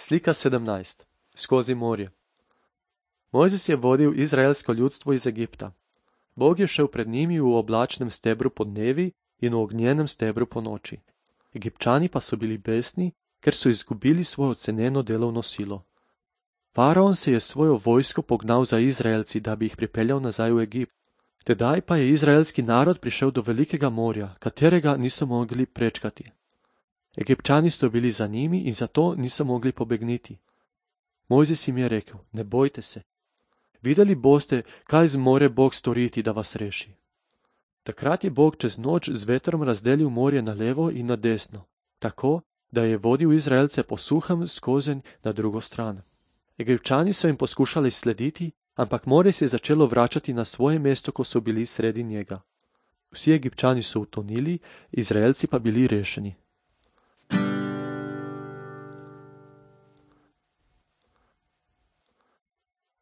Slika 17. Skozi morje. Mojzes je vodil izraelsko ljudstvo iz Egipta. Bog je šel pred njimi v oblačnem stebru podnevi in v ognjenem stebru po noči. Egipčani pa so bili besni, ker so izgubili svojo ceneno delovno silo. Faraon se je svojo vojsko pognal za Izraelci, da bi jih pripeljal nazaj v Egipt. Tedaj pa je izraelski narod prišel do velikega morja, katerega niso mogli prečkati. Egipčani so bili za njimi in zato niso mogli pobegniti. Mojzes jim je rekel: ne bojte se. Videli boste, kaj zmore Bog storiti, da vas reši. Takrat je Bog čez noč z vetrom razdelil morje na levo in na desno, tako, da je vodil Izraelce po suhem skozenj na drugo stran. Egipčani so jim poskušali slediti, ampak morje se je začelo vračati na svoje mesto, ko so bili sredi njega. Vsi Egipčani so utonili, Izraelci pa bili rešeni.